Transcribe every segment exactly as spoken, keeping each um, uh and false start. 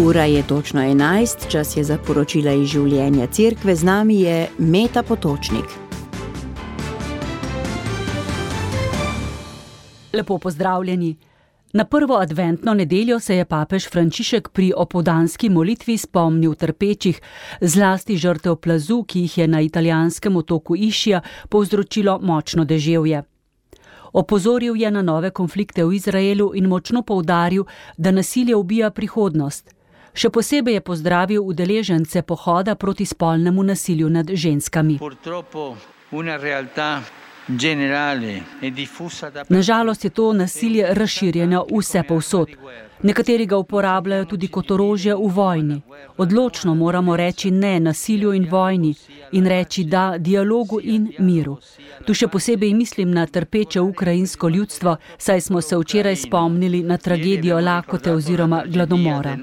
Ura je točno enajst, čas je za poročila iz življenja cerkve, z nami je Meta Potočnik. Lepo pozdravljeni. Na prvo adventno nedeljo se je papež Frančišek pri opoldanski molitvi spomnil trpečih, zlasti žrtev plazu, ki jih je na italijanskem otoku Ischia povzročilo močno deževje. Opozoril je na nove konflikte v Izraelu in močno poudaril, da nasilje ubija prihodnost. Še posebej je pozdravil udeležence pohoda proti spolnemu nasilju nad ženskami. Nažalost je to nasilje razširjeno vse povsod. Nekateri ga uporabljajo tudi kot orožje v vojni. Odločno moramo reči ne nasilju in vojni in reči da dialogu in miru. Tu še posebej mislim na trpeče ukrajinsko ljudstvo, saj smo se včeraj spomnili na tragedijo lakote oziroma gladomora.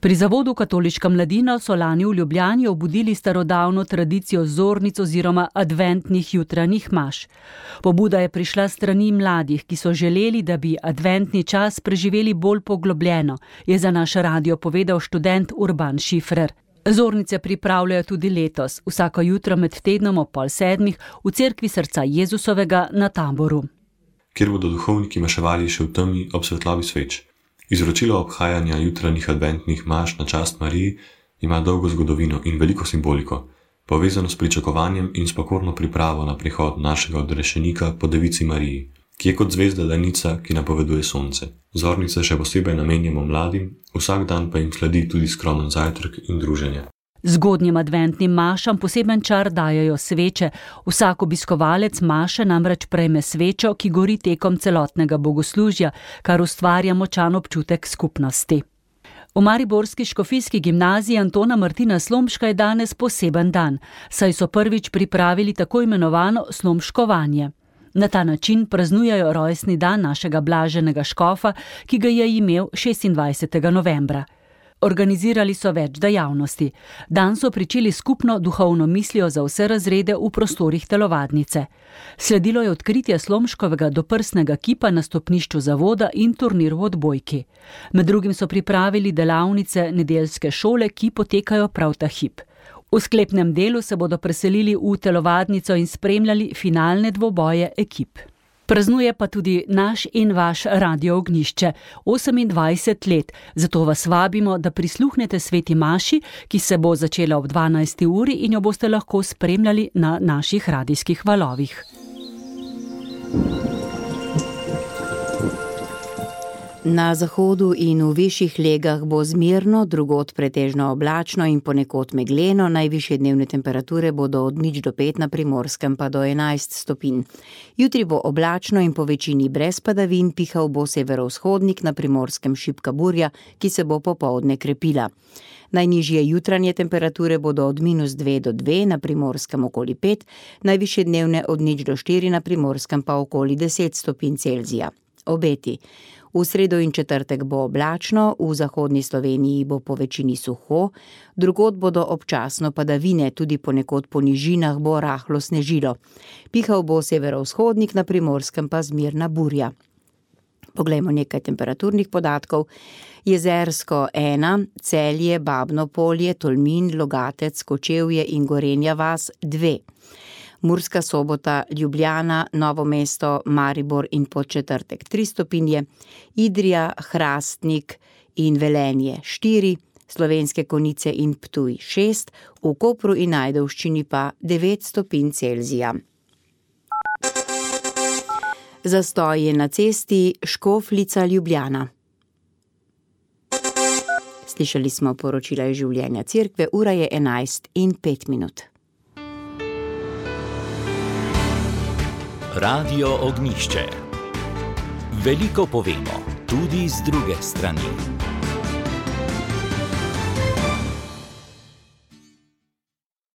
Pri Zavodu Katoliška mladina so lani v Ljubljani obudili starodavno tradicijo zornic oziroma adventnih jutranjih maš. Pobuda je prišla s strani mladih, ki so želeli, da bi adventni čas preživeli bolj poglobljeno, je za naš radio povedal študent Urban Šifrer. Zornice pripravljajo tudi letos, vsako jutro med tednom ob pol sedmih v cerkvi Srca Jezusovega na Taboru. Kjer bodo duhovniki maševali še v temi ob svetlobi sveč. Izročilo obhajanja jutranjih adventnih maš na čast Mariji ima dolgo zgodovino in veliko simboliko, povezano s pričakovanjem in s pokorno pripravo na prihod našega odrešenika po Devici Mariji, ki je kot zvezda danica, ki napoveduje sonce. Zornice še posebej namenjamo mladim, vsak dan pa jim sledi tudi skromen zajtrk in druženje. Zgodnjim adventnim mašam poseben čar dajajo sveče. Vsak obiskovalec maše namreč prejme svečo, ki gori tekom celotnega bogoslužja, kar ustvarja močan občutek skupnosti. V mariborski škofijski gimnaziji Antona Martina Slomška je danes poseben dan, saj so prvič pripravili tako imenovano slomškovanje. Na ta način praznujejo rojstni dan našega blaženega škofa, ki ga je imel šestindvajsetega novembra. Organizirali so več dejavnosti. Dan so pričeli skupno duhovno mislijo za vse razrede v prostorih telovadnice. Sledilo je odkritje Slomškovega doprsnega kipa na stopnišču zavoda in turnir v odbojki. Med drugim so pripravili delavnice nedeljske šole, ki potekajo prav ta hip. V sklepnem delu se bodo preselili v telovadnico in spremljali finalne dvoboje ekip. Praznuje pa tudi naš in vaš Radio Ognjišče, osemindvajset let, zato vas vabimo, da prisluhnete sveti maši, ki se bo začela ob dvanajsti uri in jo boste lahko spremljali na naših radijskih valovih. Na zahodu in v višjih legah bo zmerno, drugod pretežno oblačno in ponekod megleno, najvišje dnevne temperature bodo od nič do pet na Primorskem pa do enajst stopinj. Jutri bo oblačno in po večini brez padavin, pihal bo severovzhodnik, na Primorskem šibka burja, ki se bo popoldne krepila. Najnižje jutranje temperature bodo od minus dve do dve, na Primorskem okoli pet, najvišje dnevne od nič do štiri, na Primorskem pa okoli deset stopinj Celzija. Obeti. V sredo in četrtek bo oblačno, v zahodni Sloveniji bo po večini suho, drugod bodo občasno padavine, tudi ponekod po nižinah bo rahlo snežilo. Pihal bo severovzhodnik, na Primorskem pa zmerna burja. Poglejmo nekaj temperaturnih podatkov. Jezersko ena, Celje, Babno Polje, Tolmin, Logatec, Kočevje in Gorenja vas dve. Murska Sobota, Ljubljana, Novo mesto, Maribor in Podčetrtek tri stopinje, Idrija, Hrastnik in Velenje štiri, Slovenske Konjice in Ptuj šest, v Kopru in Ajdovščini pa devet stopinj Celzija. Zastoj je na cesti Škofljica Ljubljana. Slišali smo poročila iz življenja cerkve, ura je enajst in pet minut. Radio Ognjišče. Veliko povemo, tudi z druge strani.